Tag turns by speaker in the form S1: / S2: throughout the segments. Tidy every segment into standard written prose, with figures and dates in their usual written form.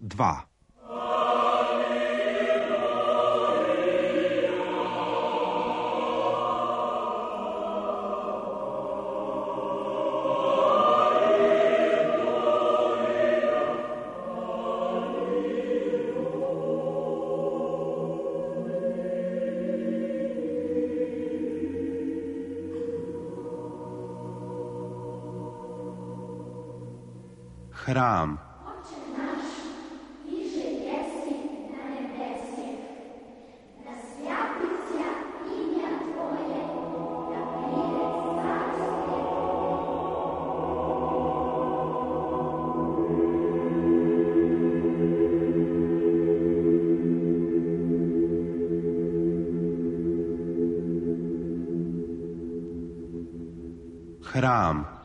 S1: 2. Hram. Hram.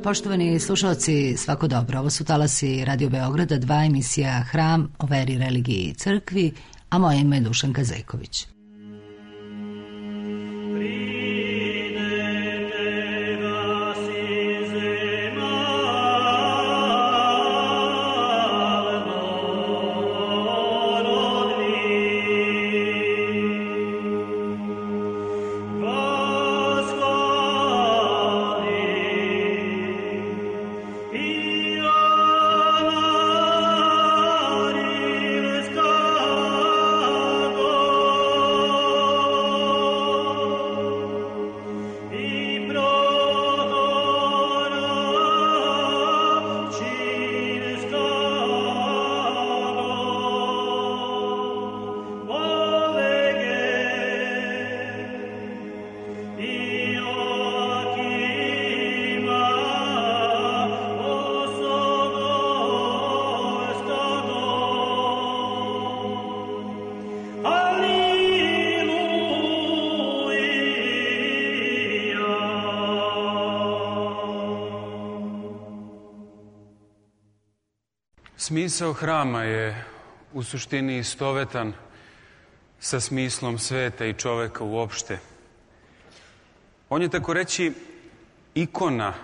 S2: Poštovani slušalci, svako dobro. Ovo su talasi Radio Beograda, 2 emisija Hram o veri, religiji i crkvi, a moje ime je Dušanka Zajković.
S3: Smisao hrama je u suštini istovetan sa smislom sveta i čoveka uopšte. On je tako reći ikona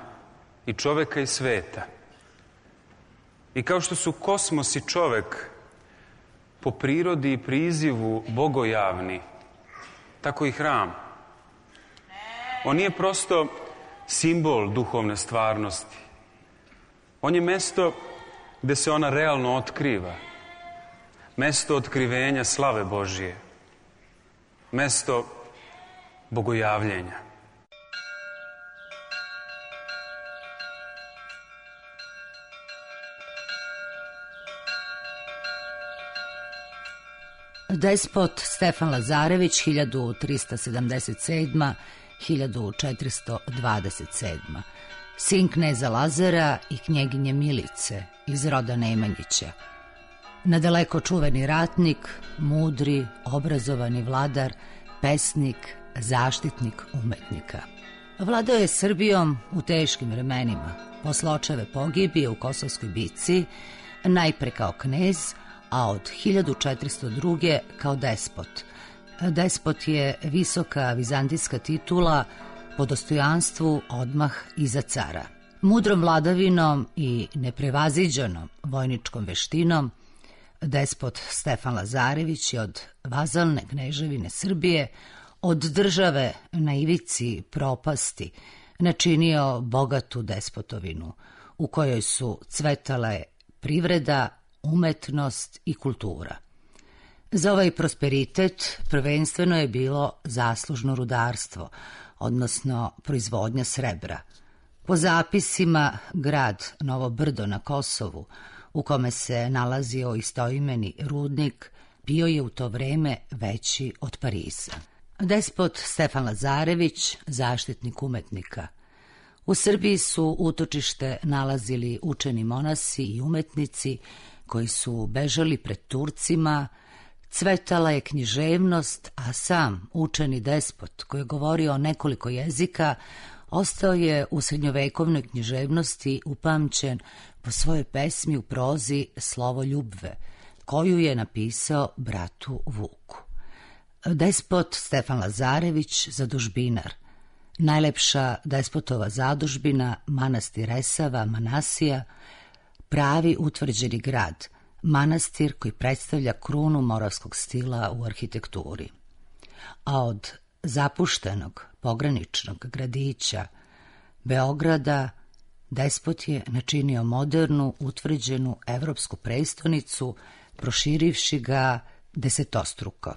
S3: i čoveka i sveta. I kao što su kosmos i čovek po prirodi i prizivu bogojavni, tako i hram. On nije prosto simbol duhovne stvarnosti. On je mesto gde se ona realno otkriva. Mesto otkrivenja slave Božije. Mesto bogojavljenja.
S2: Despot Stefan Lazarević, 1377-1427. Sin kneza Lazara i knjeginje Milice iz roda Nemanjića. Nadaleko čuveni ratnik, mudri, obrazovani vladar, pesnik, zaštitnik umetnika. Vladao je Srbijom u teškim vremenima, posle očeve pogibije u Kosovskoj bici, najpre kao knez, a od 1402. kao despot. Despot je visoka vizantijska titula po dostojanstvu odmah iza cara. Mudrom vladavinom i neprevaziđenom vojničkom veštinom despot Stefan Lazarević je od vazalne kneževine Srbije, od države na ivici propasti, načinio bogatu despotovinu u kojoj su cvetale privreda, umetnost i kultura. Za ovaj prosperitet prvenstveno je bilo zaslužno rudarstvo, odnosno proizvodnja srebra. Po zapisima, grad Novo Brdo na Kosovu, u kome se nalazio istoimeni rudnik, bio je u to vreme veći od Pariza. Despot Stefan Lazarević, zaštitnik umetnika. U Srbiji su utočište nalazili učeni monasi i umetnici koji su bežali pred Turcima, cvetala je književnost, a sam učeni despot, koji je govorio nekoliko jezika, ostao je u srednjovekovnoj književnosti upamćen po svojoj pesmi u prozi Slovo ljubve, koju je napisao bratu Vuku. Despot Stefan Lazarević, zadužbinar. Najlepša despotova zadužbina, manastir Resava, Manasija, pravi utvrđeni grad, manastir koji predstavlja krunu moravskog stila u arhitekturi. A od zapuštenog pograničnog gradića Beograda despot je načinio modernu, utvrđenu evropsku prestonicu, proširivši ga desetostruko.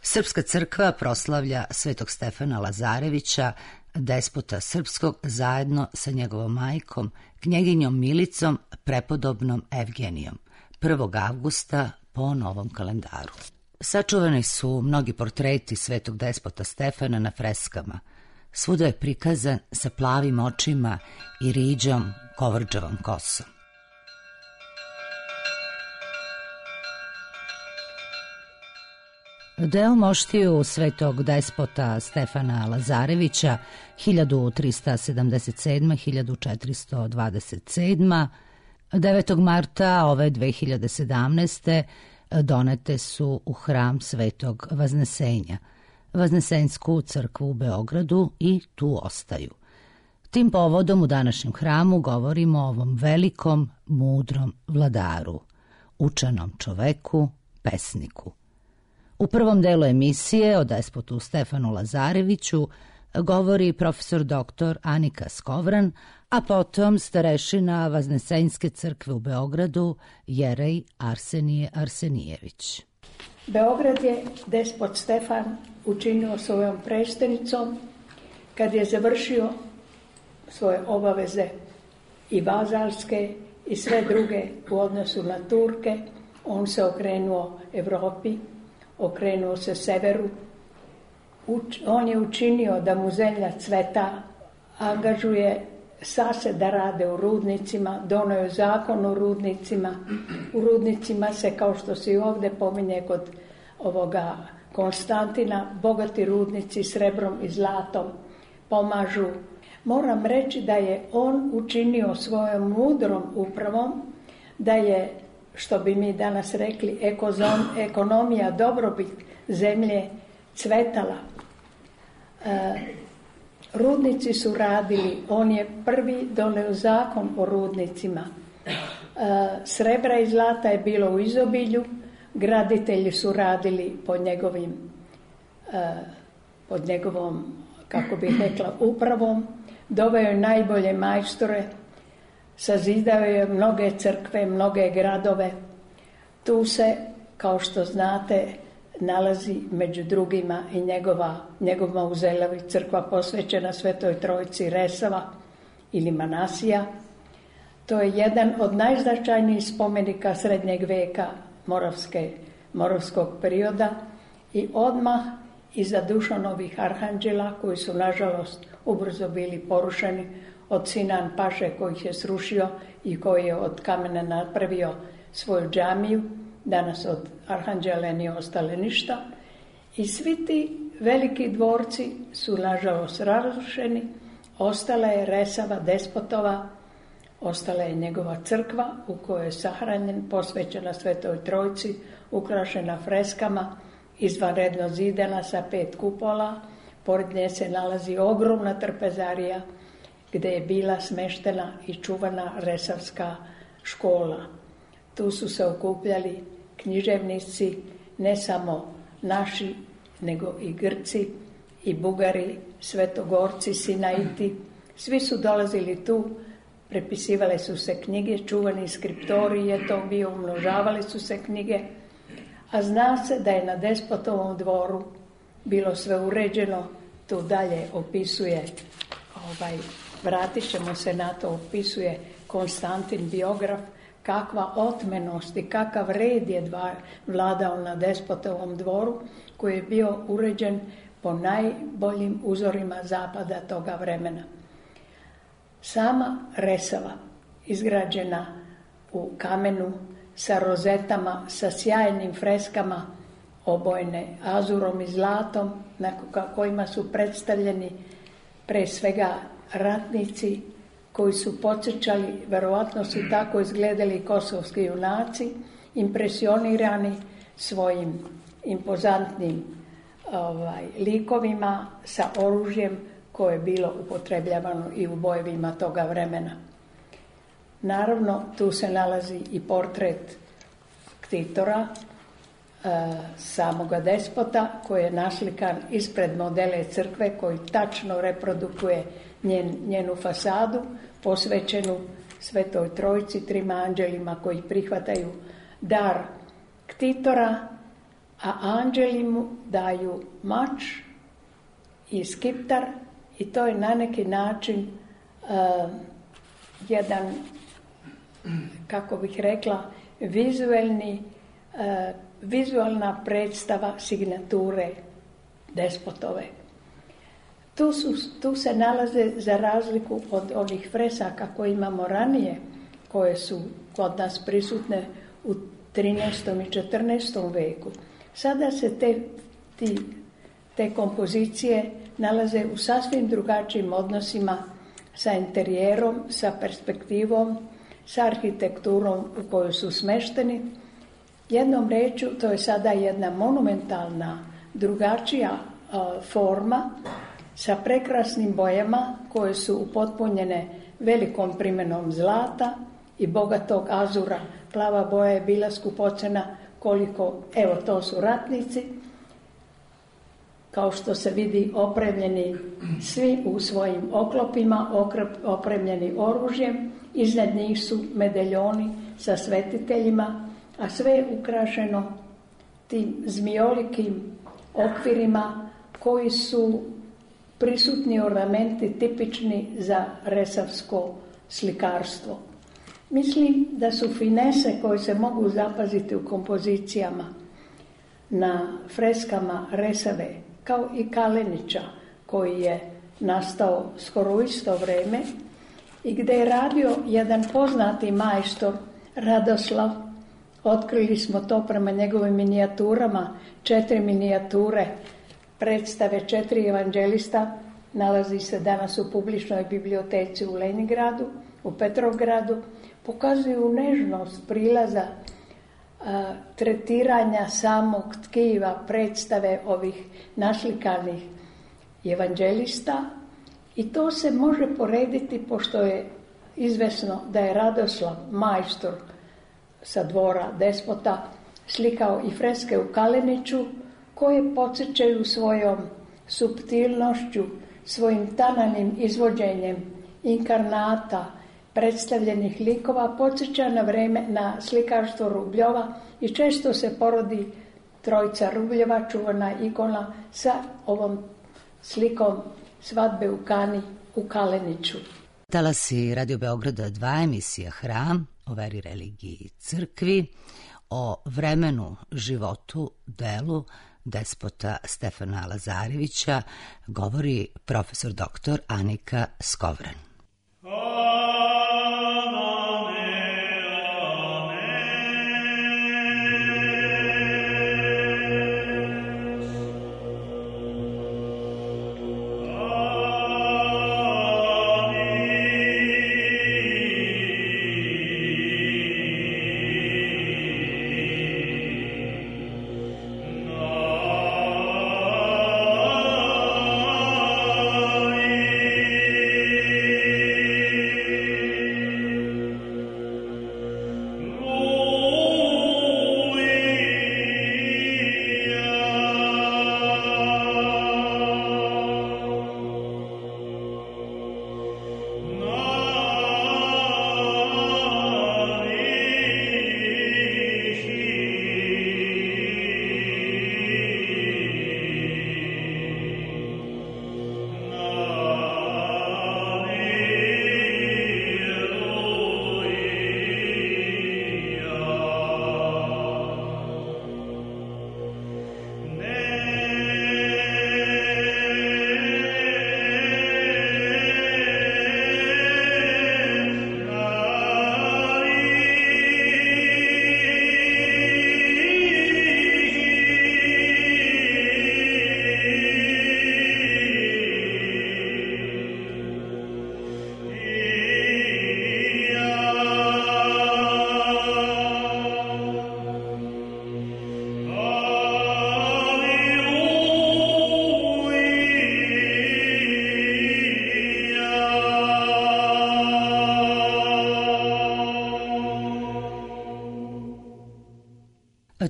S2: Srpska crkva proslavlja svetog Stefana Lazarevića, despota srpskog, zajedno sa njegovom majkom, knjeginjom Milicom, prepodobnom Evgenijom, 1. avgusta po novom kalendaru. Sačuvani su mnogi portreti svetog despota Stefana na freskama. Svuda je prikazan sa plavim očima i riđom kovrđavom kosom. Deo moštiju svetog despota Stefana Lazarevića 1377-1427 9. marta ove 2017. donete su u hram Svetog Vaznesenja, Vaznesensku crkvu u Beogradu, i tu ostaju. Tim povodom u današnjem hramu govorimo o ovom velikom, mudrom vladaru, učenom čoveku, pesniku. U prvom delu emisije o despotu Stefanu Lazareviću govori profesor dr. Anika Skovran, a potom starešina Vaznesenjske crkve u Beogradu Jerej Arsenije Arsenijević.
S4: Beograd je despot Stefan učinio svojom prestonicom kad je završio svoje obaveze i vazalske i sve druge u odnosu na Turke. On se okrenuo Evropi, okrenuo se severu. On je učinio da mu zemlja cveta, angažuje sase da rade u rudnicima, donio je zakon o rudnicima. U rudnicima se, kao što se i ovdje pominje kod ovoga Konstantina, bogati rudnici srebrom i zlatom pomažu. Moram reći da je on učinio svojom mudrom upravom, da je, što bi mi danas rekli, ekonomija, dobrobit zemlje cvetala. Rudnici su radili, on je prvi doneo zakon o rudnicima. Srebra i zlata je bilo u izobilju, graditelji su radili pod njegovom, kako bih rekla, upravom. Doveo je najbolje majstore, sazidao je mnoge crkve, mnoge gradove. Tu se, kao što znate, nalazi među drugima i njegov mauzelavi, crkva posvećena Svetoj Trojici Resava ili Manasija. To je jedan od najznačajnijih spomenika srednjeg veka moravskog perioda i odmah iza Dušanovih arhanđela, koji su nažalost ubrzo bili porušeni od Sinan Paše, koji ih je srušio i koji je od kamena napravio svoju džamiju. Danas od arhanđela nije ostale ništa. I svi ti veliki dvorci su nažalost razrušeni. Ostala je Resava despotova, ostala je njegova crkva u kojoj je sahranjen, posvećena Svetoj Trojici, ukrašena freskama, izvanredno zidana sa 5 kupola. Pored nje se nalazi ogromna trpezarija gdje je bila smeštena i čuvana Resavska škola. Tu su se okupljali književnici, ne samo naši, nego i Grci, i Bugari, Svetogorci, Sinaiti. Svi su dolazili tu, prepisivale su se knjige, čuvani skriptori je to bio, umnožavali su se knjige, a zna se da je na despotovom dvoru bilo sve uređeno tu dalje opisuje, vratit ćemo se na to, opisuje Konstantin biograf, kakva otmenost i kakav red je vladao na despotovom dvoru, koji je bio uređen po najboljim uzorima zapada toga vremena. Sama Resava, izgrađena u kamenu, sa rozetama, sa sjajnim freskama, obojene azurom i zlatom, na kojima su predstavljeni pre svega ratnici koji su podsjećali, verovatno su tako izgledali kosovski junaci, impresionirani svojim impozantnim likovima sa oružjem koje je bilo upotrebljavano i u bojevima toga vremena. Naravno, tu se nalazi i portret Ktitora, samoga despota, koji je naslikan ispred modele crkve, koji tačno reprodukuje njenu fasadu, posvećenu Svetoj Trojici, trima anđelima koji prihvataju dar Ktitora, a anđeli mu daju mač i skiptar, i to je na neki način jedan, kako bih rekla, vizualna predstava signature despotove. Tu se nalaze, za razliku od onih fresaka koje imamo ranije, koje su kod nas prisutne u 13. i 14. veku. Sada se te kompozicije nalaze u sasvim drugačijim odnosima sa interijerom, sa perspektivom, sa arhitekturom u kojoj su smešteni. Jednom rečju, to je sada jedna monumentalna, drugačija forma sa prekrasnim bojama koje su upotpunjene velikom primenom zlata i bogatog azura. Plava boja je bila skupocena koliko, evo to su ratnici, kao što se vidi opremljeni svi u svojim oklopima, opremljeni oružjem, iznad njih su medaljoni sa svetiteljima, a sve je ukrašeno tim zmijolikim okvirima koji su prisutni ornamenti tipični za resavsko slikarstvo. Mislim da su finese koje se mogu zapaziti u kompozicijama na freskama Resave, kao i Kalenića, koji je nastao skoro u isto vreme i gdje je radio jedan poznati majstor Radoslav. Otkrili smo to prema njegovim minijaturama, 4 minijature predstave 4 evanđelista, nalazi se danas u publičnoj biblioteci u Leningradu, u Petrovgradu, pokazuju nežnost prilaza, tretiranja samog tkiva predstave ovih naslikanih evanđelista, i to se može porediti, pošto je izvesno da je Radoslav, majstor sa dvora despota, slikao i freske u Kaleniću, koje podsjećaju svojom suptilnošću, svojim tananim izvođenjem inkarnata, predstavljenih likova, podsjeća na vreme na slikarstvo Rubljova i često se porodi Trojica Rubljeva, čuvana ikona, sa ovom slikom svadbe u Kani u Kaleniću.
S2: Talasi Radio Beograda 2, emisija Hram, o veri, religiji i crkvi, o vremenu, životu, delu despota Stefana Lazarevića govori profesor dr. Anika Skovran.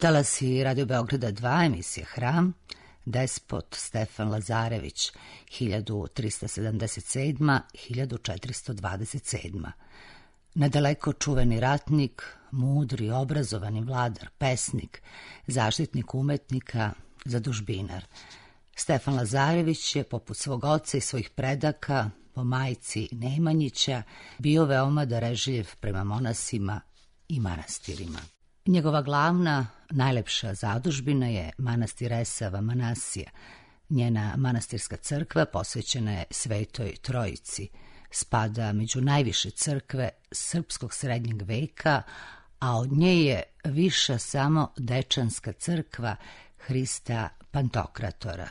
S2: Talasi Radio Beograda 2, emisija Hram, despot Stefan Lazarević, 1377-1427. Nadaleko čuveni ratnik, mudri, obrazovani vladar, pesnik, zaštitnik umetnika, zadužbinar. Stefan Lazarević je, poput svog oca i svojih predaka, po majci Nemanjića, bio veoma darežljiv prema monasima i manastirima. Njegova glavna, najlepša zadužbina je manastir Resava Manasija. Njena manastirska crkva posvećena je Svetoj Trojici. Spada među najviše crkve srpskog srednjeg veka, a od nje je viša samo Dečanska crkva Hrista Pantokratora.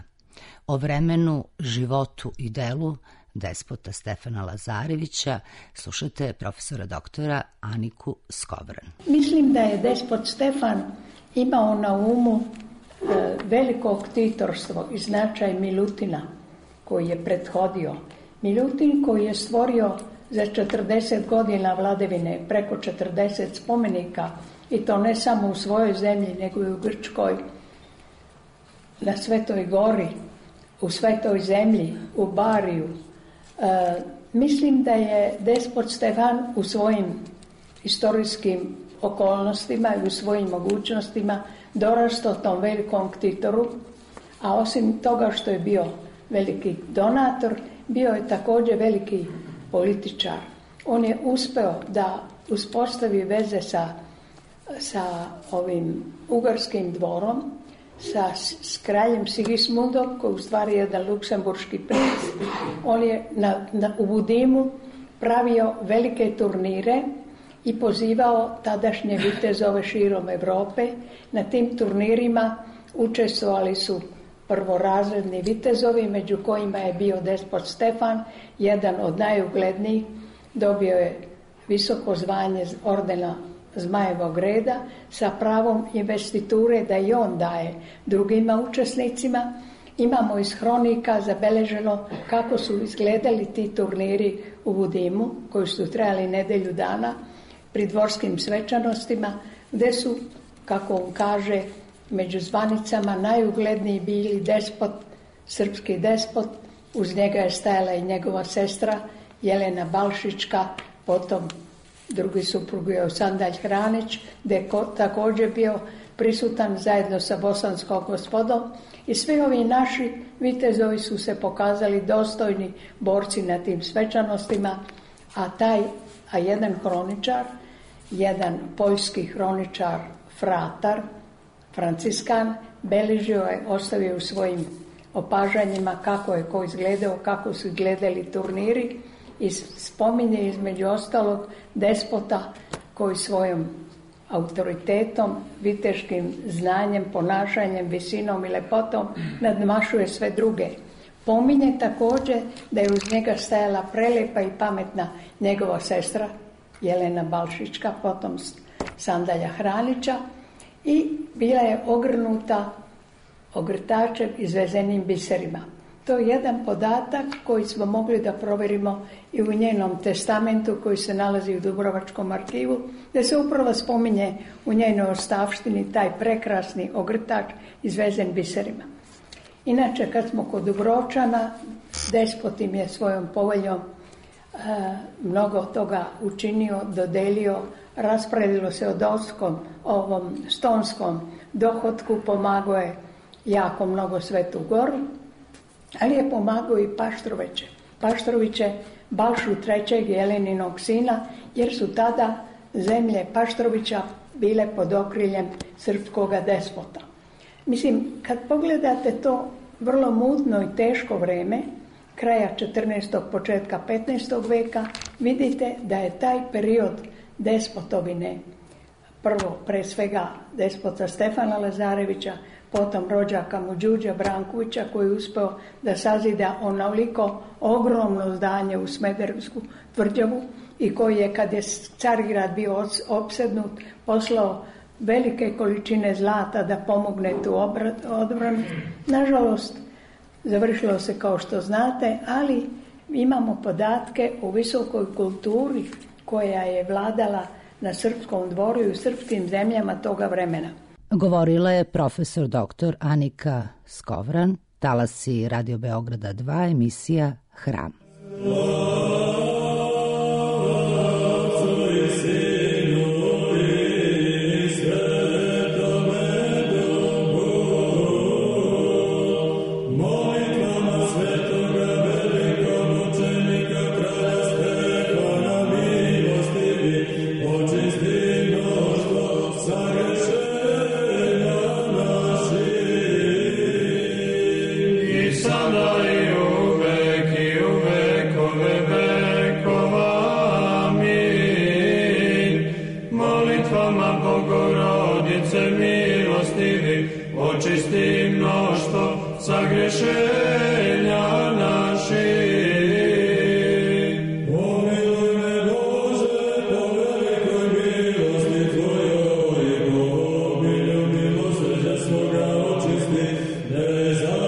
S2: O vremenu, životu i delu despota Stefana Lazarevića slušate profesora doktora Aniku Skovran.
S4: Mislim da je despot Stefan imao na umu veliko ktitorstvo i značaj Milutina koji je prethodio. Milutin koji je stvorio za 40 godina vladavine preko 40 spomenika, i to ne samo u svojoj zemlji, nego i u Grčkoj, na Svetoj gori, u Svetoj zemlji, u Bariju. Mislim da je despot Stefan u svojim istorijskim okolnostima i u svojim mogućnostima dorastao tom velikom ktitoru, a osim toga što je bio veliki donator, bio je također veliki političar. On je uspeo da uspostavi veze sa ovim ugarskim dvorom, s kraljem Sigismundom, koji u stvari je jedan luksemburški princ. On je u Budimu pravio velike turnire i pozivao tadašnje vitezove širom Evrope. Na tim turnirima učestvovali su prvorazredni vitezovi, među kojima je bio despot Stefan, jedan od najuglednijih. Dobio je visoko zvanje ordena Zmajevog reda sa pravom investiture da i on daje drugima učesnicima. Imamo iz hronika zabeleženo kako su izgledali ti turniri u Budimu, koji su trajali nedelju dana, pri dvorskim svečanostima, gde su, kako on kaže, među zvanicama najugledniji bili despot, srpski despot, uz njega je stajala i njegova sestra Jelena Balšička, potom drugi suprug je Sandalj Hranić, gde je također bio prisutan zajedno sa bosanskom gospodom, i svi ovi naši vitezovi su se pokazali dostojni borci na tim svečanostima, a jedan hroničar, jedan poljski hroničar Fratar, Franciskan, beležio je, ostavio u svojim opažanjima kako je ko izgledao, kako su izgledali turniri, i spominje između ostalog despota koji svojom autoritetom, viteškim znanjem, ponašanjem, visinom i lepotom nadmašuje sve druge. Pominje također da je uz njega stajala prelepa i pametna njegova sestra Jelena Balšička, potom Sandalja Hranića, i bila je ogrnuta ogrtačem izvezenim biserima. To je jedan podatak koji smo mogli da proverimo i u njenom testamentu koji se nalazi u Dubrovačkom arhivu, gdje se upravo spominje u njenoj ostavštini taj prekrasni ogrtač izvezen biserima. Inače, kad smo kod Dubrovčana, despot im je svojom poveljom mnogo toga učinio, dodelio, raspravilo se o ovom stonskom dohotku, pomagao je jako mnogo Svetu Goru, ali je pomagao i Paštroviće. Paštroviće, Balšu III. Jeleninog sina, jer su tada zemlje Paštrovića bile pod okriljem srpskoga despota. Mislim, kad pogledate to vrlo mutno i teško vreme, kraja 14. početka 15. veka, vidite da je taj period despotovine, prvo pre svega despota Stefana Lazarevića, potom rođaka mu Đuđa Brankovića, koji je uspeo da sazida onoliko ogromno zdanje u Smederevsku tvrđavu, i koji je, kad je Carigrad bio opsednut, poslao velike količine zlata da pomogne tu odbranu. Nažalost, završilo se kao što znate, ali imamo podatke o visokoj kulturi koja je vladala na srpskom dvoru i u srpskim zemljama toga vremena.
S2: Govorila je profesor dr. Anika Skovran, talasi Radio Beograda 2, emisija Hram.
S5: Očisti mnoštvo sagrešenja naših. Pomiluj me Bože, po velikoj milosti Tvojoj, i po obilju milosrđa svoga očisti bezakonja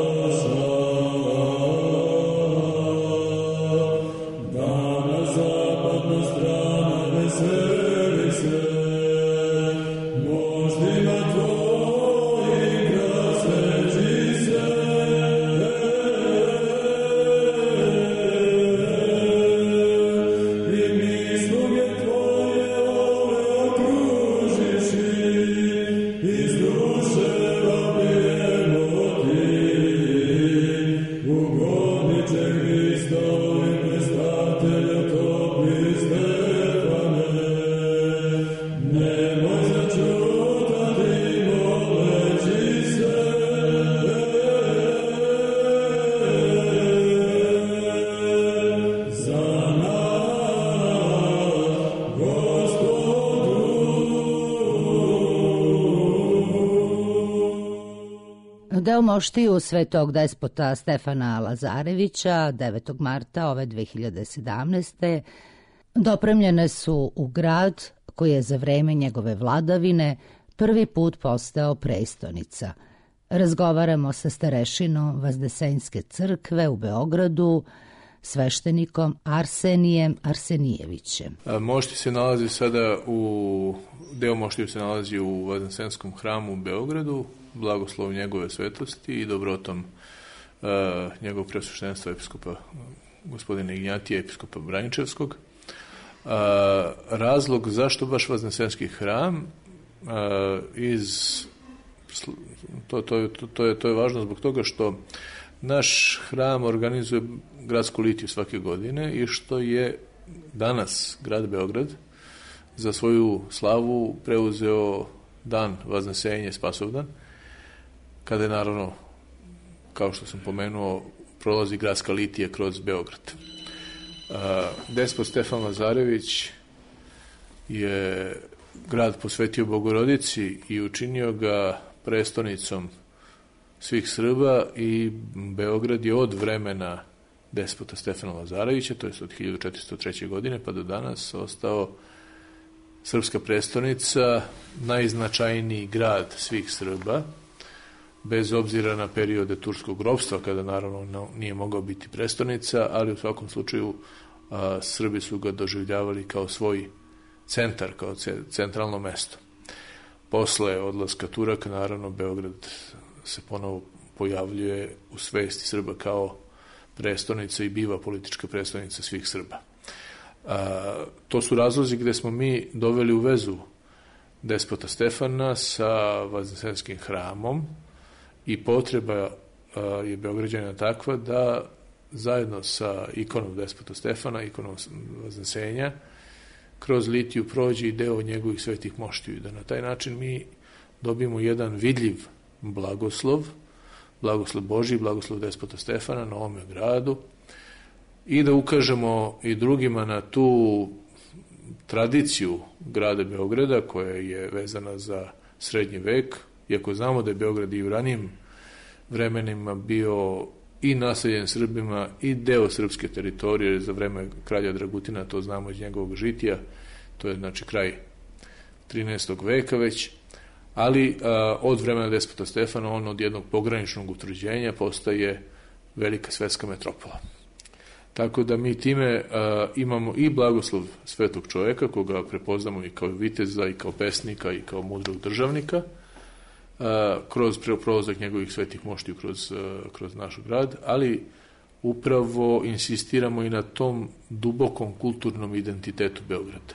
S5: naša. Da na zapadnu stranu veseli se moždima Tvojim grad sveći se. I mi sluge Tvoje ove okružiši, iz duše vapijemo Ti, ugodniče Hristovi prestatelju topi Stefane. Nemoj začutati moleći se, za nas, Gospodu.
S2: Deo moštiju svetog despota Stefana Lazarevića 9. marta ove 2017. dopremljene su u grad koji je za vreme njegove vladavine prvi put postao prestonica. Razgovaramo sa starešinom Vazdesenjske crkve u Beogradu, sveštenikom Arsenijem Arsenijevićem.
S6: Mošti se nalazi sada deo moštiju se nalazi u Vazdesenskom hramu u Beogradu, blagoslov njegove svetosti i dobrotom njegovog preosveštenstva episkopa gospodina Ignjatija, episkopa Braničevskog. Razlog zašto baš Vazdesenski hram, to je važno zbog toga što naš hram organizuje gradsku litiju svake godine i što je danas grad Beograd za svoju slavu preuzeo dan Vaznesenje, Spasovdan, kada je naravno, kao što sam pomenuo, prolazi gradska litija kroz Beograd. Despot Stefan Lazarević je grad posvetio Bogorodici i učinio ga prestonicom svih Srba i Beograd je od vremena despota Stefana Lazarevića, to je od 1403. godine pa do danas, ostao srpska prestonica, najznačajniji grad svih Srba, bez obzira na periode turskog ropstva, kada naravno nije mogao biti prestonica, ali u svakom slučaju Srbi su ga doživljavali kao svoj centar, kao centralno mesto. Posle odlaska Turaka, naravno, Beograd se ponovo pojavljuje u svesti Srba kao prestonica i biva politička prestonica svih Srba. To su razlozi gde smo mi doveli u vezu despota Stefana sa Vazdesenskim hramom i potreba je Beograđana takva da zajedno sa ikonom despota Stefana, ikonom Vaznesenja, kroz litiju prođe i deo njegovih svetih moštiju i da na taj način mi dobijemo jedan vidljiv blagoslov Božji, blagoslov despota Stefana na ovome gradu i da ukažemo i drugima na tu tradiciju grada Beograda koja je vezana za srednji vek, iako znamo da je Beograd i u ranijim vremenima bio i naseljen Srbima i deo srpske teritorije za vreme kralja Dragutina, to znamo iz njegovog žitija, to je znači kraj 13. veka već, ali od vremena despota Stefana on od jednog pograničnog utvrđenja postaje velika svetska metropola. Tako da mi time imamo i blagoslov svetog čovjeka, koga prepoznamo i kao viteza, i kao pesnika, i kao mudrog državnika, kroz prolazak njegovih svetih moštiju kroz naš grad, ali upravo insistiramo i na tom dubokom kulturnom identitetu Beograda.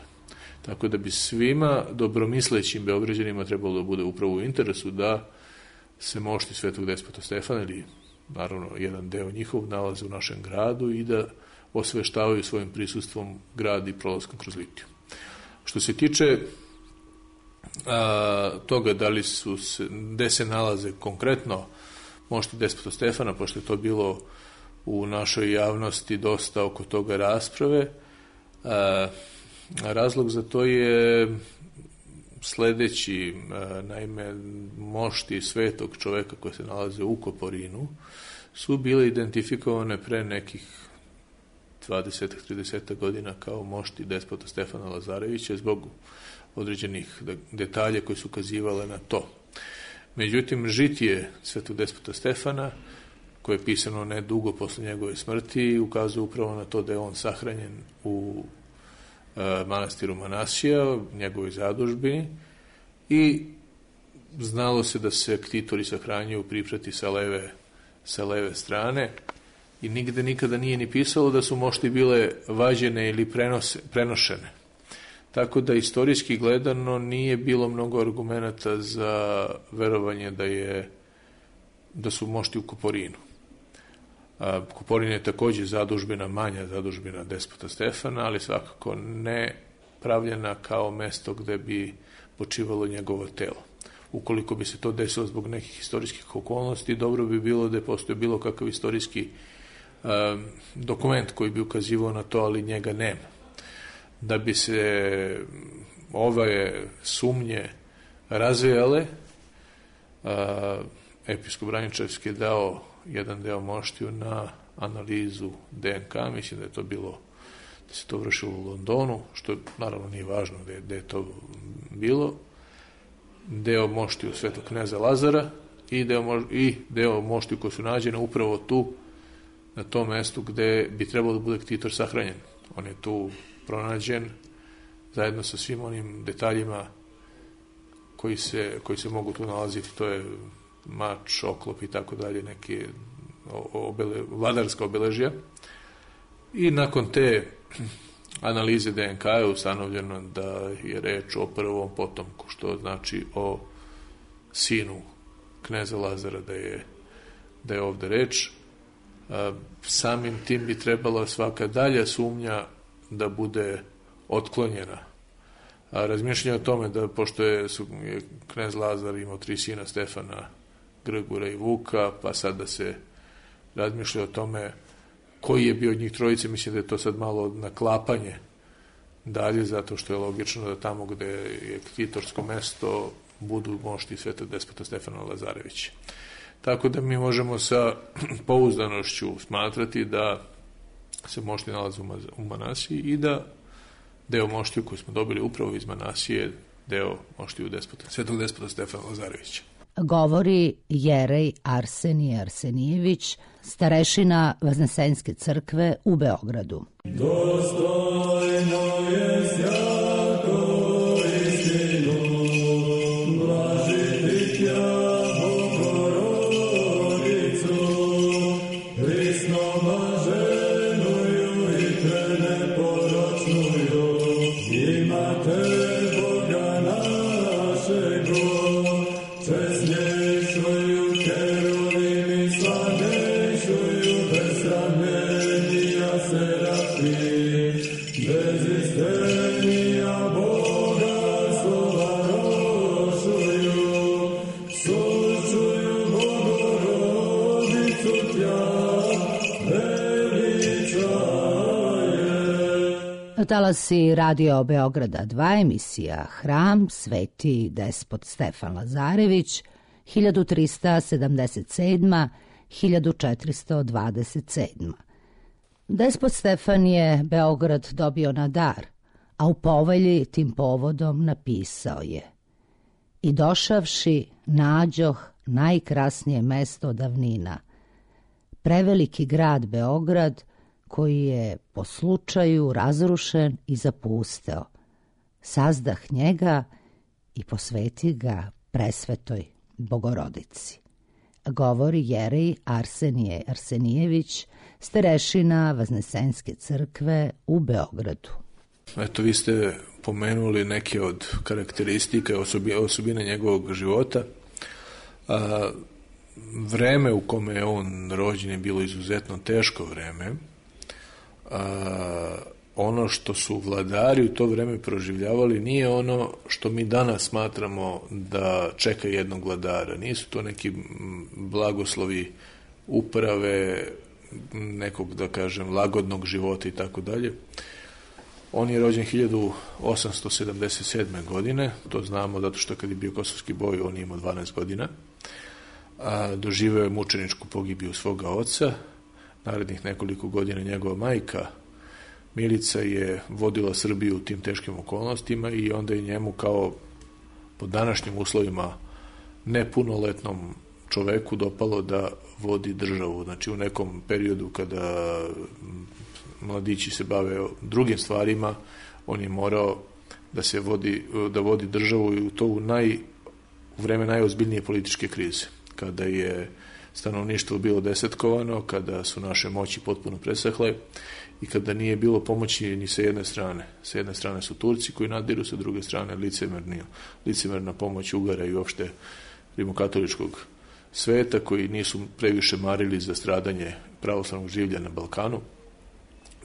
S6: Tako da bi svima dobromislećim Beograđanima trebalo da bude upravo u interesu da se mošti svetog despota Stefana, ili naravno jedan deo njihov, nalaze u našem gradu i da osveštavaju svojim prisustvom grad i prolaskom kroz litiju. Što se tiče toga gde se nalaze konkretno mošti despota Stefana, pošto je to bilo u našoj javnosti dosta oko toga rasprave, razlog za to je sledeći. Naime, mošti svetog čoveka koji se nalaze u Koporinu su bile identifikovane pre nekih 20-30 godina kao mošti despota Stefana Lazarevića zbog određenih detalja koji su ukazivale na to. Međutim, žitije svetog despota Stefana, koje je pisano ne dugo posle njegove smrti, ukazuje upravo na to da je on sahranjen u manastiru Manasija, njegovoj zadužbini, i znalo se da se ktitori sahranjuju priprati sa leve strane, i nigde nikada nije ni pisalo da su mošti bile vađene ili prenošene. Tako da istorijski gledano nije bilo mnogo argumenata za verovanje da su mošti u Koporinu. Koporin je takođe zadužbina, manja zadužbina despota Stefana, ali svakako ne pravljena kao mesto gde bi počivalo njegovo telo. Ukoliko bi se to desilo zbog nekih istorijskih okolnosti, dobro bi bilo da je postoje bilo kakav istorijski dokument koji bi ukazivao na to, ali njega nema. Da bi se ove sumnje razvijale, episkop Braničevski je dao jedan deo moštiju na analizu DNK, mislim da se to vršilo u Londonu, što naravno nije važno gde je to bilo, deo moštiju svetog kneza Lazara i deo moštiju koji su nađene upravo tu, na tom mestu gde bi trebalo da bude ktitor sahranjen. On je tu pronađen zajedno sa svim onim detaljima koji se mogu tu nalaziti, to je mač, oklop i tako dalje, neke vladarska obeležja. I nakon te analize DNK je ustanovljeno da je reč o prvom potomku, što znači o sinu kneza Lazara, da je ovde reč. Samim tim bi trebala svaka dalja sumnja da bude otklonjena. Razmišljanje o tome da, pošto je knez Lazar imao 3 sina, Stefana, Grgura i Vuka, pa sad da se razmišlja o tome koji je bio od njih trojice, mislim da je to sad malo naklapanje dalje, zato što je logično da tamo gde je ktitorsko mesto budu mošti svetog despota Stefana Lazarevića. Tako da mi možemo sa pouzdanošću smatrati da se mošti nalaze u Manasiji i da deo moštiju koji smo dobili upravo iz Manasije, deo moštiju svetog despota Stefana Lazarevića.
S2: Govori jerej Arsenije Arsenijević, starešina Vaznesenske crkve u Beogradu.
S5: Dostojno je sjako istinu, blažiti tja Bogorodicu, prisnoma ženuju i te neporočnuju, imate Boga našegu, česnješuju keruvimi, slavnješuju besramljenija serafi, bez istenija Boga slova rošuju, sučuju Bogorodicu tja veličaje.
S2: Talasi Radio Beograda 2, emisija Hram, Sveti despot Stefan Lazarević, 1377-1427. Despot Stefan je Beograd dobio na dar, a u povelji tim povodom napisao je: I došavši, nađoh najkrasnije mesto davnina, preveliki grad Beograd, koji je po slučaju razrušen i zapusteo. Sazdah njega i posveti ga presvetoj Bogorodici. Govori jerej Arsenije Arsenijević, starešina Vaznesenske crkve u Beogradu.
S6: Eto, vi ste pomenuli neke od karakteristika i osobine njegovog života. Vreme u kome je on rođen je bilo izuzetno teško vreme. Ono što su vladari u to vreme proživljavali nije ono što mi danas smatramo da čeka jednog vladara. Nisu to neki blagoslovi uprave, nekog, da kažem, lagodnog života i tako dalje. On je rođen 1877. godine, to znamo zato što kad je bio kosovski boj, on je imao 12 godina. Doživeo je mučeničku pogibiju svoga oca. Narednih nekoliko godina njegova majka Milica je vodila Srbiju u tim teškim okolnostima i onda je njemu kao po današnjim uslovima nepunoletnom čoveku dopalo da vodi državu. Znači u nekom periodu kada mladići se bave drugim stvarima, on je morao da vodi državu i to u vreme najozbiljnije političke krize, kada je stanovništvo bilo desetkovano, kada su naše moći potpuno presahle i kada nije bilo pomoći ni sa jedne strane. Sa jedne strane su Turci koji nadiru, sa druge strane licemerna pomoć Ugara i uopšte rimokatoličkog sveta koji nisu previše marili za stradanje pravoslavnog življa na Balkanu.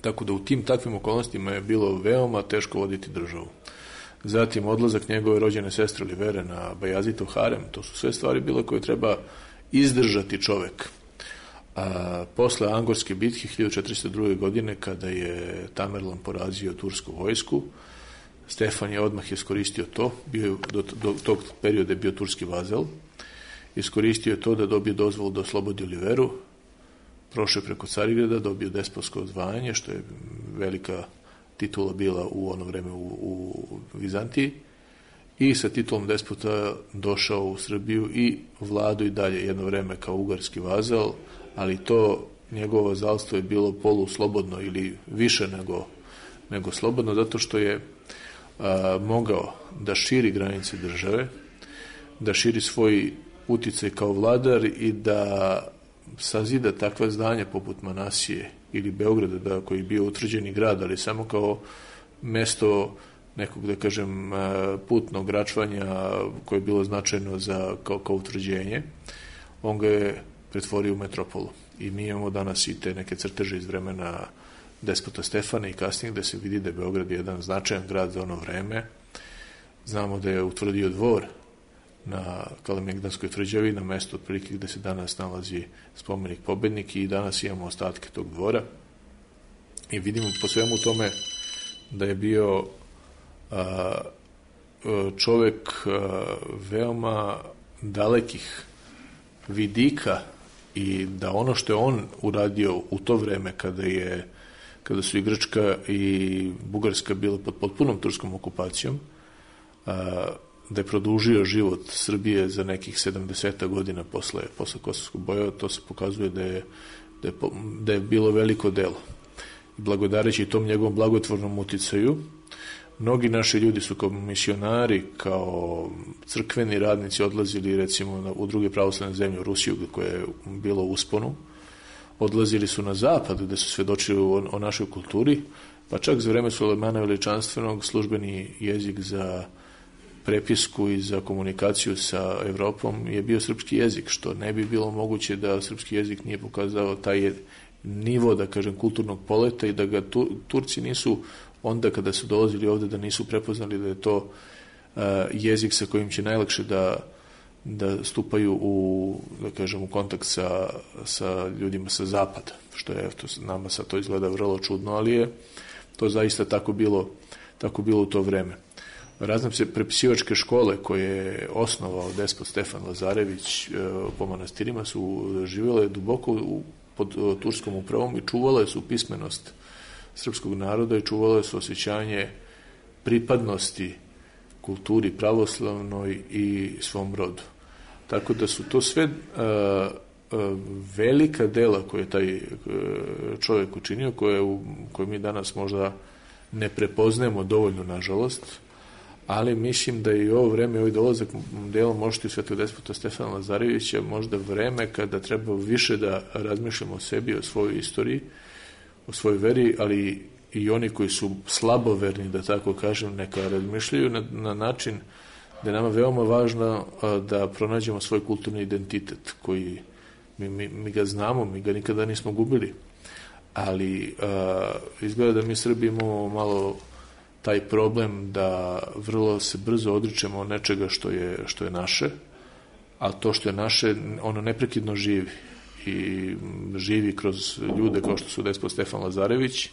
S6: Tako da u tim takvim okolnostima je bilo veoma teško voditi državu. Zatim odlazak njegove rođene sestre Olivere na Bajazitov harem, to su sve stvari bile koje treba izdržati čovek. Posle Angorske bitke 1402. godine, kada je Tamerlan porazio tursku vojsku, Stefan je odmah iskoristio to, do tog perioda je bio turski vazal, iskoristio je to da dobije dozvolu da oslobodi Oliveru, prošao preko Carigrada, dobio despotsko odvajanje, što je velika titula bila u ono vreme u Vizantiji, i sa titulom despota došao u Srbiju i vladao i dalje jedno vreme kao ugarski vazal, ali to njegovo vazalstvo je bilo poluslobodno ili više nego slobodno, zato što je mogao da širi granice države, da širi svoj uticaj kao vladar i da sazida takva zdanja poput Manasije ili Beograda, koji je bio utvrđeni grad, ali samo kao mesto nekog, da kažem, putnog račvanja koje je bilo značajno kao utvrđenje. On ga je pretvorio u metropolu. I mi imamo danas i te neke crteže iz vremena despota Stefana i kasnije, gde se vidi da je Beograd jedan značajan grad za ono vreme. Znamo da je utvrdio dvor na Kalemegdanskoj tvrđavi, na mestu otprilike gde se danas nalazi spomenik Pobednik, i danas imamo ostatke tog dvora. I vidimo po svemu tome da je bio čovek veoma dalekih vidika i da ono što je on uradio u to vreme kada su i Grčka i Bugarska bile pod potpunom turskom okupacijom, da je produžio život Srbije za nekih 70 godina posle Kosovskog boja, to se pokazuje da je bilo veliko delo. Blagodareći tom njegovom blagotvornom uticaju, mnogi naši ljudi su kao misionari, kao crkveni radnici odlazili recimo u druge pravoslavne zemlje, u Rusiju koja je bila u usponu, odlazili su na zapad gde su svedočili o našoj kulturi, pa čak za vreme Sulejmana Veličanstvenog službeni jezik za prepisku i za komunikaciju sa Evropom je bio srpski jezik, što ne bi bilo moguće da srpski jezik nije pokazao taj nivo, da kažem, kulturnog poleta i da ga Turci nisu onda kada su dolazili ovde da nisu prepoznali da je to jezik sa kojim će najlakše da stupaju da kažem, u kontakt sa ljudima sa zapada, što je, nama sad to izgleda vrlo čudno, ali je to zaista tako bilo u to vreme. Razne prepisivačke škole koje je osnovao despot Stefan Lazarević po manastirima su živjele duboko pod turskom upravom i čuvale su pismenost srpskog naroda i čuvale su osjećanje pripadnosti kulturi pravoslavnoj i svom rodu. Tako da su to sve velika dela koje je taj čovjek učinio, koje mi danas možda ne prepoznajemo dovoljno, nažalost, ali mislim da i ovo vreme, ovaj dolazak delom mošti Svetog despota Stefana Lazarevića možda vreme kada treba više da razmišljamo o sebi, o svojoj istoriji, o svojoj veri, ali i oni koji su slaboverni, da tako kažem, neka razmišljaju na način da je nama veoma važno da pronađemo svoj kulturni identitet koji mi ga znamo, mi ga nikada nismo gubili, ali izgleda da mi Srbi imamo malo taj problem da vrlo se brzo odričemo nečega što je naše, a to što je naše, ono neprekidno živi i živi kroz ljude kao što su despot Stefan Lazarević,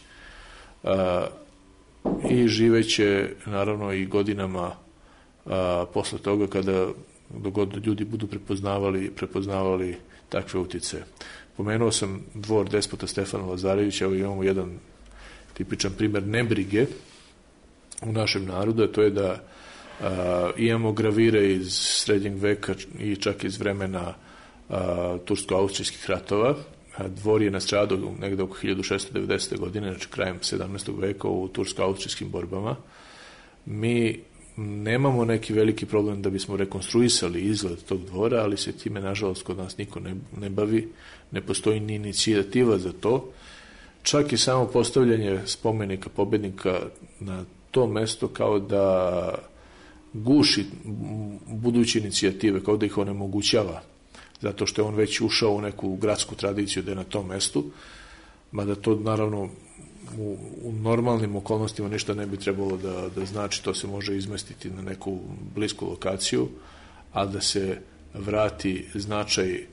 S6: i živeće naravno i godinama posle toga kada dogod ljudi budu prepoznavali takve utice. Pomenuo sam dvor despota Stefana Lazarevića, evo imamo jedan tipičan primer nebrige u našem narodu, a to je da imamo gravire iz srednjeg veka i čak iz vremena tursko-austrijskih ratova. Dvor je nastradao negde oko 1690. godine, znači krajem 17. veka u tursko-austrijskim borbama. Mi nemamo neki veliki problem da bismo rekonstruisali izgled tog dvora, ali se time, nažalost, kod nas niko ne bavi, ne postoji ni inicijativa za to. Čak i samo postavljanje spomenika pobednika na to mesto kao da guši buduće inicijative, kao da ih onemogućava, zato što je on već ušao u neku gradsku tradiciju da je na tom mestu, mada to naravno u normalnim okolnostima ništa ne bi trebalo da znači, to se može izmestiti na neku blisku lokaciju, a da se vrati značaj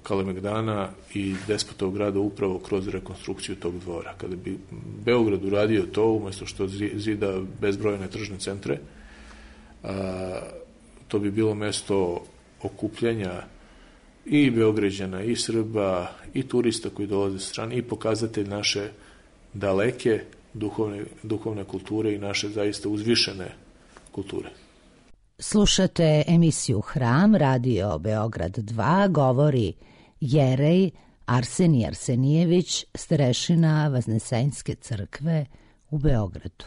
S6: Kalemegdana i despotov grada upravo kroz rekonstrukciju tog dvora. Kada bi Beograd uradio to, umjesto što zida bezbrojne tržne centre, to bi bilo mesto okupljanja i Beograđana, i Srba, i turista koji dolaze sa strane, i pokazatelj naše daleke duhovne kulture i naše zaista uzvišene kulture.
S2: Slušate emisiju Hram, radio Beograd 2, govori jerej Arsenij Arsenijević, starešina Vaznesenjske crkve u Beogradu.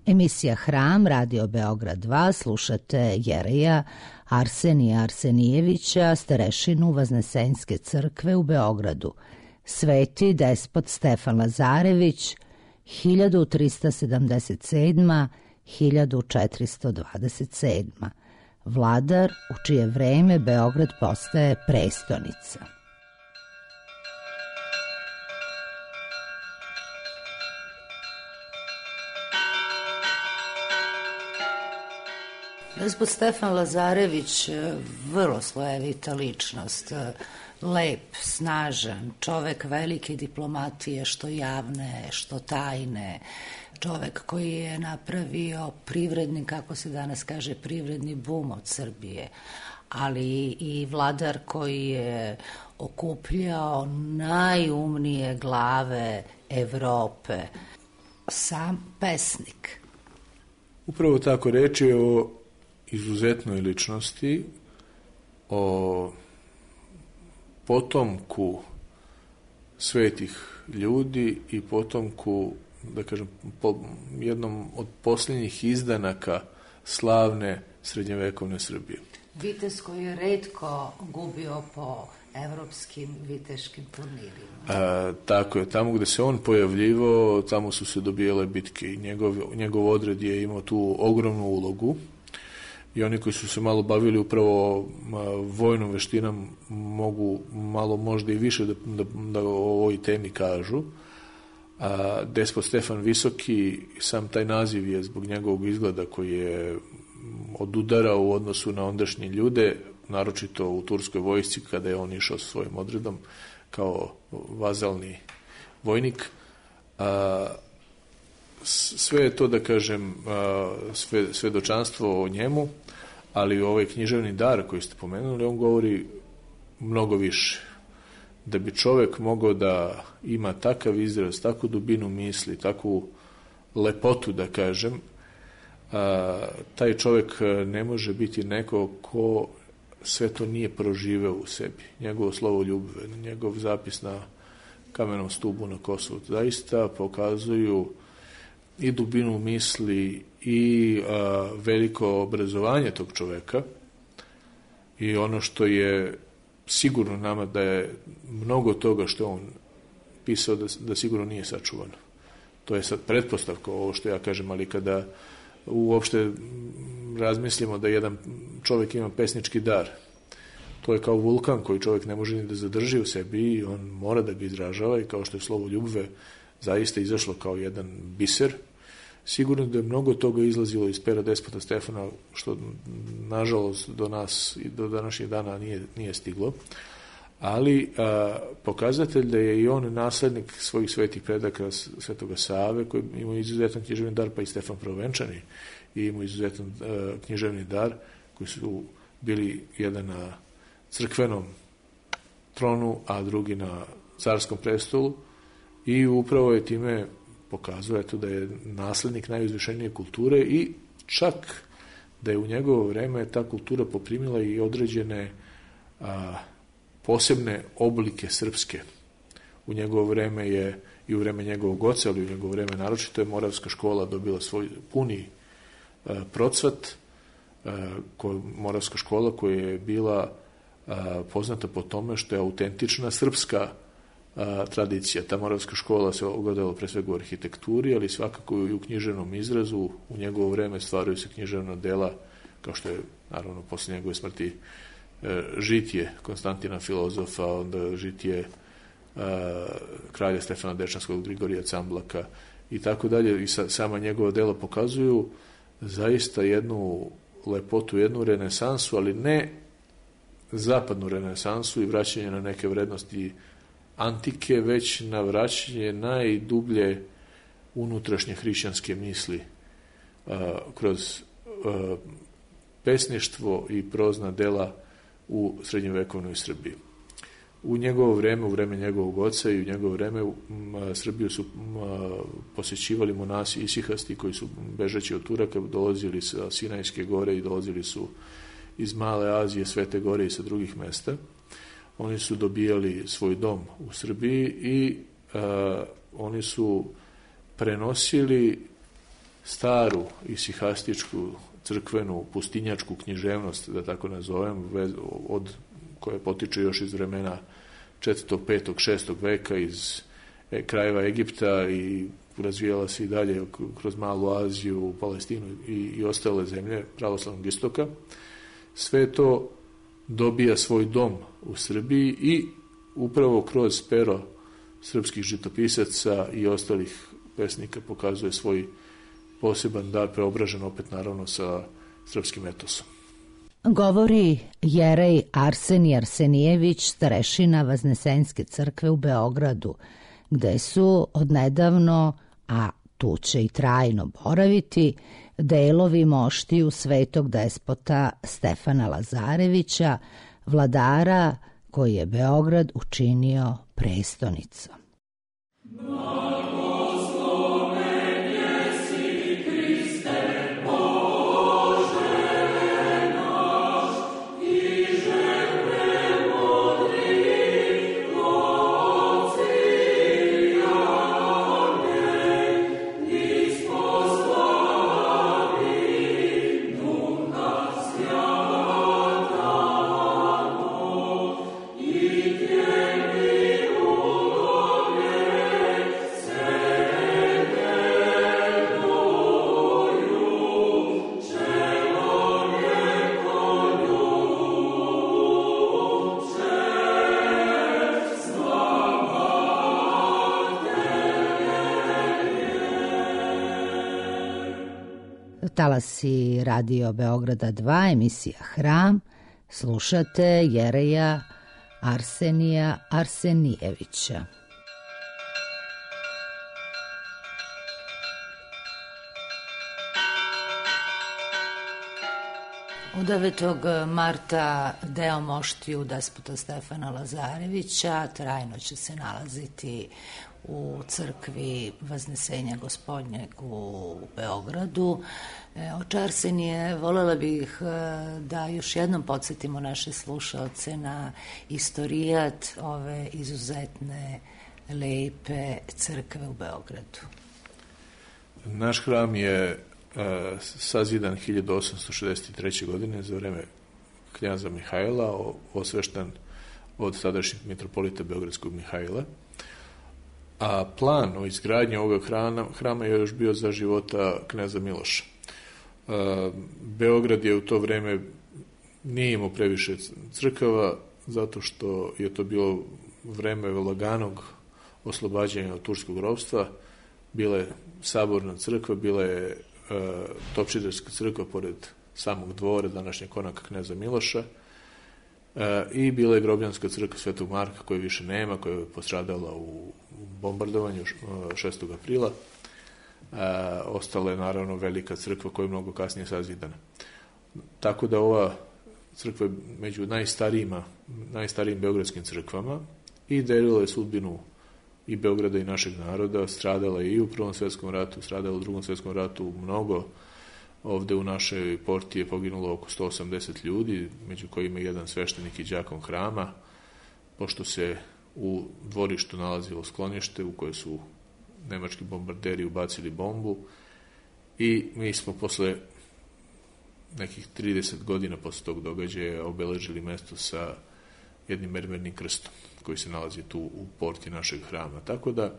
S2: Emisija Hram, radio Beograd 2, slušate jereja Arsenija Arsenijevića, starešinu Vaznesenjske crkve u Beogradu. Sveti despot Stefan Lazarević, 1377-1427. Vladar u čije vreme Beograd postaje prestonica. Despot Stefan Lazarević, vrlo slojevita ličnost, lep, snažan, čovek velike diplomatije, što javne, što tajne, čovek koji je napravio privredni, kako se danas kaže, privredni bum od Srbije, ali i vladar koji je okupljao najumnije glave Evrope, sam pesnik.
S6: Upravo tako, reč je o izuzetnoj ličnosti, o potomku svetih ljudi i potomku, da kažem, jednom od posljednjih izdanaka slavne srednjevekovne Srbije.
S2: Vitez koji je retko gubio po evropskim viteškim turnirima.
S6: Tako je, tamo gde se on pojavljivao, tamo su se dobijale bitke i njegov odred je imao tu ogromnu ulogu i oni koji su se malo bavili upravo vojnom veštinom mogu malo možda i više da o ovoj temi kažu. Despot Stefan Visoki, sam taj naziv je zbog njegovog izgleda koji je odudarao u odnosu na ondašnje ljude, naročito u turskoj vojsci kada je on išao sa svojim odredom kao vazalni vojnik. Sve je to, da kažem, svedočanstvo o njemu, ali ovaj književni dar koji ste pomenuli, on govori mnogo više. Da bi čovek mogao da ima takav izraz, takvu dubinu misli, takvu lepotu, da kažem, taj čovek ne može biti neko ko sve to nije proživeo u sebi. Njegovo slovo ljubve, njegov zapis na kamenom stubu na Kosovu zaista pokazuju i dubinu misli i veliko obrazovanje tog čoveka i ono što je sigurno nama da je mnogo toga što on pisao da sigurno nije sačuvano. To je sad pretpostavka ovo što ja kažem, ali kada uopšte razmislimo da jedan čovjek ima pesnički dar, to je kao vulkan koji čovjek ne može ni da zadrži u sebi i on mora da ga izražava i kao što je slovo ljubve zaista izašlo kao jedan biser, sigurno da je mnogo toga izlazilo iz pera Despota Stefana, što nažalost do nas i do današnjih dana nije stiglo, ali pokazatelj da je i on naslednik svojih svetih predaka Svetoga Save, koji ima izuzetan književni dar, pa i Stefan Prvovenčani i ima izuzetan književni dar, koji su bili jedan na crkvenom tronu, a drugi na carskom prestolu, i upravo je time pokazuje to da je naslednik najuzvišenije kulture i čak da je u njegovo vreme ta kultura poprimila i određene posebne oblike srpske. U njegovo vreme je i u vreme njegovog oca, ali u njegovo vreme naročito je Moravska škola dobila svoj puni procvat, Moravska škola koja je bila poznata po tome što je autentična srpska tradicija. Ta Moravska škola se ogledala pre svega u arhitekturi, ali svakako i u književnom izrazu. U njegovo vreme stvaraju se književna dela, kao što je, naravno, posle njegove smrti žitije Konstantina Filozofa, onda žitije kralja Stefana Dečanskog, Grigorija Camblaka i tako dalje. I sama njegova dela pokazuju zaista jednu lepotu, jednu renesansu, ali ne zapadnu renesansu i vraćanje na neke vrednosti antike, već na vraćanje najdublje unutrašnje hrišćanske misli kroz pesništvo i prozna dela u srednjevekovnoj Srbiji. U njegovo vreme, u vreme njegovog oca i u njegovo vreme Srbiju su posećivali monasi isihasti koji su bežeći od Turaka dolazili sa Sinajske gore i dolazili su iz Male Azije, Svete gore i sa drugih mesta. Oni su dobijali svoj dom u Srbiji i oni su prenosili staru isihastičku crkvenu pustinjačku književnost, da tako nazovem, od koje potiče još iz vremena 4., 5., 6. veka iz krajeva Egipta i razvijala se i dalje kroz Malu Aziju, Palestinu i ostale zemlje pravoslavnog istoka. Sve to dobija svoj dom u Srbiji i upravo kroz pero srpskih žitopisaca i ostalih pesnika pokazuje svoj poseban dar, preobražen opet naravno sa srpskim etosom.
S2: Govori jerej Arsenij Arsenijević, starešina Vaznesenjske crkve u Beogradu, gde su odnedavno, a tu će i trajno boraviti, delovi moštiju svetog despota Stefana Lazarevića, vladara koji je Beograd učinio prestonicom. Talasi Radio Beograda 2, emisija Hram, slušate jereja Arsenija Arsenijevića. Od 9. marta deo moštiju despota Stefana Lazarevića trajno će se nalaziti u crkvi Vaznesenja Gospodnjeg u Beogradu. Oče Arsenije, volela bih da još jednom podsjetimo naše slušaoce na istorijat ove izuzetne, lepe crkve u Beogradu.
S6: Naš hram je sazidan 1863. godine za vreme knjaza Mihajla, osvešten od sadašnjeg mitropolita Beogradskog Mihajla. A plan o izgradnji ovog hrama je još bio za života knjaza Miloša. Beograd je u to vreme nije imao previše crkava, zato što je to bilo vreme laganog oslobađanja od turskog ropstva. Bila je saborna crkva, bila je Topčiderska crkva pored samog dvora današnjeg konaka knjaza Miloša i bila je Grobljanska crkva Svetog Marka, koje više nema, koja je postradala u bombardovanju 6. aprila. Ostala je naravno velika crkva koja je mnogo kasnije sazidana. Tako da ova crkva je među najstarijim beogradskim crkvama i delila je sudbinu i Beograda i našeg naroda, stradala je i u Prvom svetskom ratu, stradala u Drugom svetskom ratu mnogo. Ovde u našoj porti je poginulo oko 180 ljudi, među kojima je jedan sveštenik i đakon hrama, pošto se u dvorištu nalazilo sklonište u koje su nemački bombarderi ubacili bombu i mi smo posle nekih 30 godina posle tog događaja obeležili mesto sa jednim mermernim krstom koji se nalazi tu u porti našeg hrama. Tako da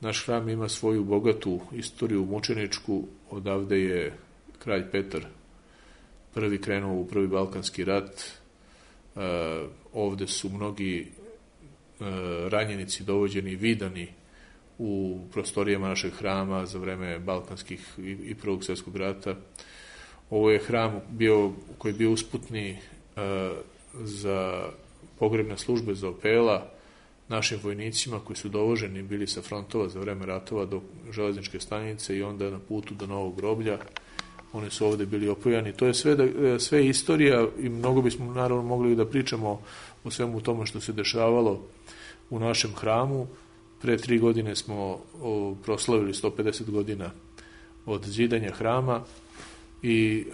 S6: naš hram ima svoju bogatu istoriju mučeničku. Odavde je kralj Petar prvi krenuo u Prvi Balkanski rat. Ovde su mnogi ranjenici dovođeni i vidani u prostorijama našeg hrama za vreme Balkanskih i Prvog svjetskog rata. Ovo je hram koji je bio usputni za pogrebne službe za opela našim vojnicima koji su dovoženi bili sa frontova za vreme ratova do železničke stanice i onda na putu do Novog groblja. Oni su ovde bili opojani. To je sve istorija i mnogo bismo naravno mogli da pričamo o svemu tome što se dešavalo u našem hramu. Pre 3 godine smo proslavili 150 godina od zidanja hrama i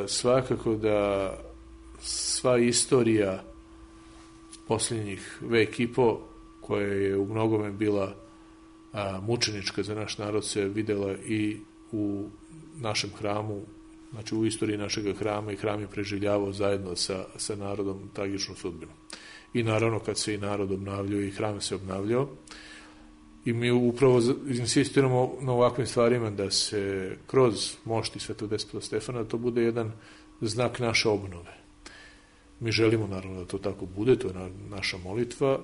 S6: svakako da sva istorija posljednjih vek i po, koja je u mnogome bila mučenička za naš narod, se videla i u našem hramu, znači u istoriji našeg hrama, i hram je preživljavao zajedno sa narodom tragičnu sudbinu. I naravno kad se i narod obnavljao i hram se obnavljao. I mi upravo insistiramo na ovakvim stvarima da se kroz mošti Svetog despota Stefana to bude jedan znak naše obnove. Mi želimo naravno da to tako bude, to je naša molitva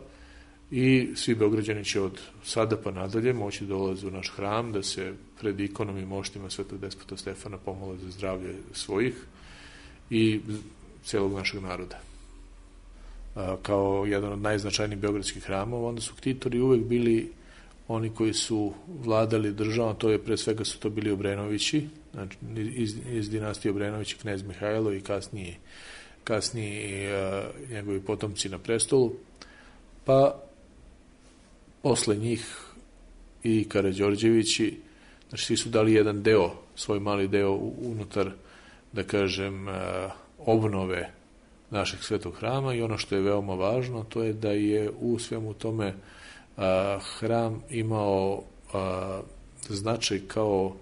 S6: i svi Beograđani će od sada pa nadalje moći dolaze u naš hram da se pred ikonom i moštima Svetog despota Stefana pomole za zdravlje svojih i celog našeg naroda. Kao jedan od najznačajnijih beogradskih hramova, onda su ktitori uvek bili oni koji su vladali državom, to je pre svega su to bili Obrenovići, znači iz dinastije Obrenovići, knez Mihajlo i kasniji njegovi potomci na prestolu, pa posle njih i Karađorđevići, znači svi su dali jedan deo, svoj mali deo unutar, da kažem, obnove našeg svetog hrama, i ono što je veoma važno, to je da je u svemu tome hram imao značaj kao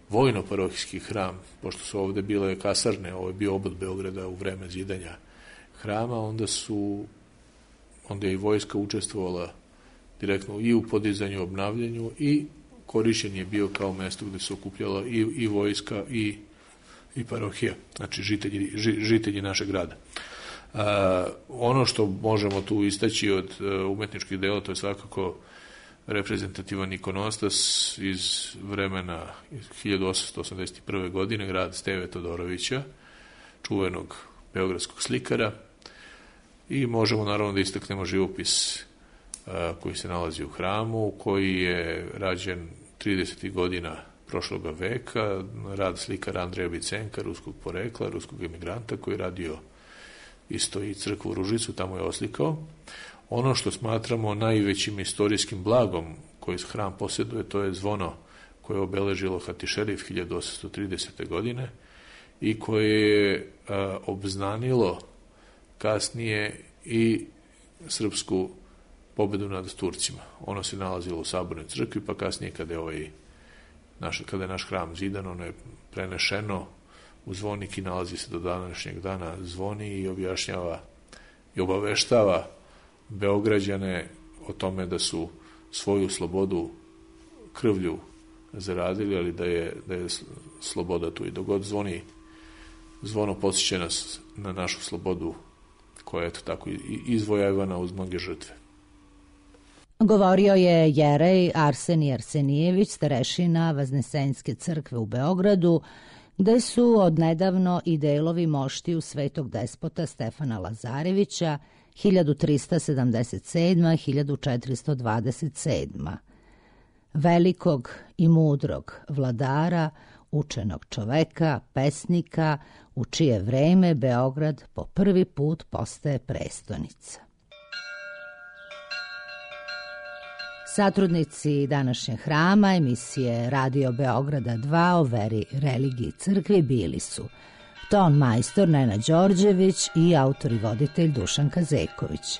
S6: vojno-parohijski hram, pošto su ovde bile kasarne, ovo je bio obod Beograda u vreme zidanja hrama, onda je i vojska učestvovala direktno i u podizanju, obnavljanju, i korišćen je bio kao mesto gde se okupljala i vojska i parohija, znači žitelji našeg grada. Ono što možemo tu istaći od umetničkih dela, to je svakako reprezentativan ikonostas iz vremena 1881. godine, grad Steve Todorovića, čuvenog beogradskog slikara, i možemo naravno da istaknemo živopis koji se nalazi u hramu, koji je rađen 30. godina prošloga veka, rad slikara Andreja Bicenka, ruskog porekla, ruskog emigranta, koji je radio isto i crkvu u Ružicu, tamo je oslikao. Ono što smatramo najvećim istorijskim blagom koji hram posjeduje, to je zvono koje je obeležilo Hatišerif 1830. godine i koje je obznanilo kasnije i srpsku pobedu nad Turcima. Ono se nalazilo u Sabornoj crkvi, pa kasnije kada je naš hram zidan, ono je prenešeno u zvonik i nalazi se do današnjeg dana, zvoni i objašnjava i obaveštava Beograđane o tome da su svoju slobodu krvlju zaradili, ali da je sloboda tu, i dok god zvono podsjeća nas na našu slobodu, koja je tako izvojevana uz mnoge žrtve.
S2: Govorio je jerej Arsenij Arsenijević, starešina Vaznesenjske crkve u Beogradu, gde su odnedavno i delovi moštiju svetog despota Stefana Lazarevića 1377-1427. Velikog i mudrog vladara, učenog čoveka, pesnika, u čije vreme Beograd po prvi put postaje prestonica. Satrudnici današnjeg hrama emisije Radio Beograda 2 o veri, religiji i crkvi bili su ton majstor Nena Đorđević i autor i voditelj Dušan Kazeković.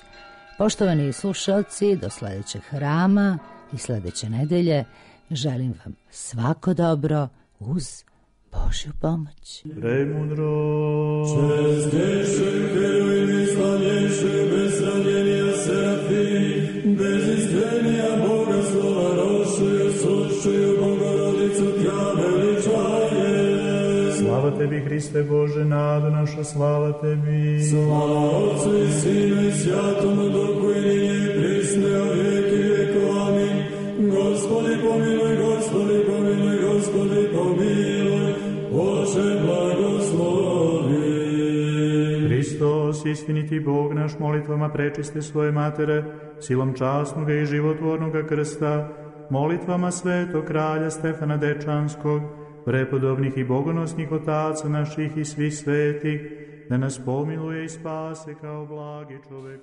S2: Poštovani slušalci, do sledećeg hrama i sledeće nedelje želim vam svako dobro uz Božju pomoć.
S5: Premudro, čestnejši herojni, slavnejši, bez ranjenja serafi, bez iskrenija Boga slova rošuju, sušuju Bogorodicu tja veličaje. Slava tebi, Hriste Bože, nado naša, slava tebi. Slava Otcu i Sinu i Svjatomu Duhu i ninje i prisne o vijeki vekov. Amin. Gospodi pomiluj, Gospodi pomiluj, Gospodi pomiluj, Oče blagoslovi. Hristos, istiniti Bog naš, molitvama prečiste svoje matere, silom časnoga i životvornoga krsta, molitvama svetog kralja Stefana Dečanskog, prepodobnih i bogonosnih otaca naših i svih svetih, da nas pomiluje i spase kao blagi čovek.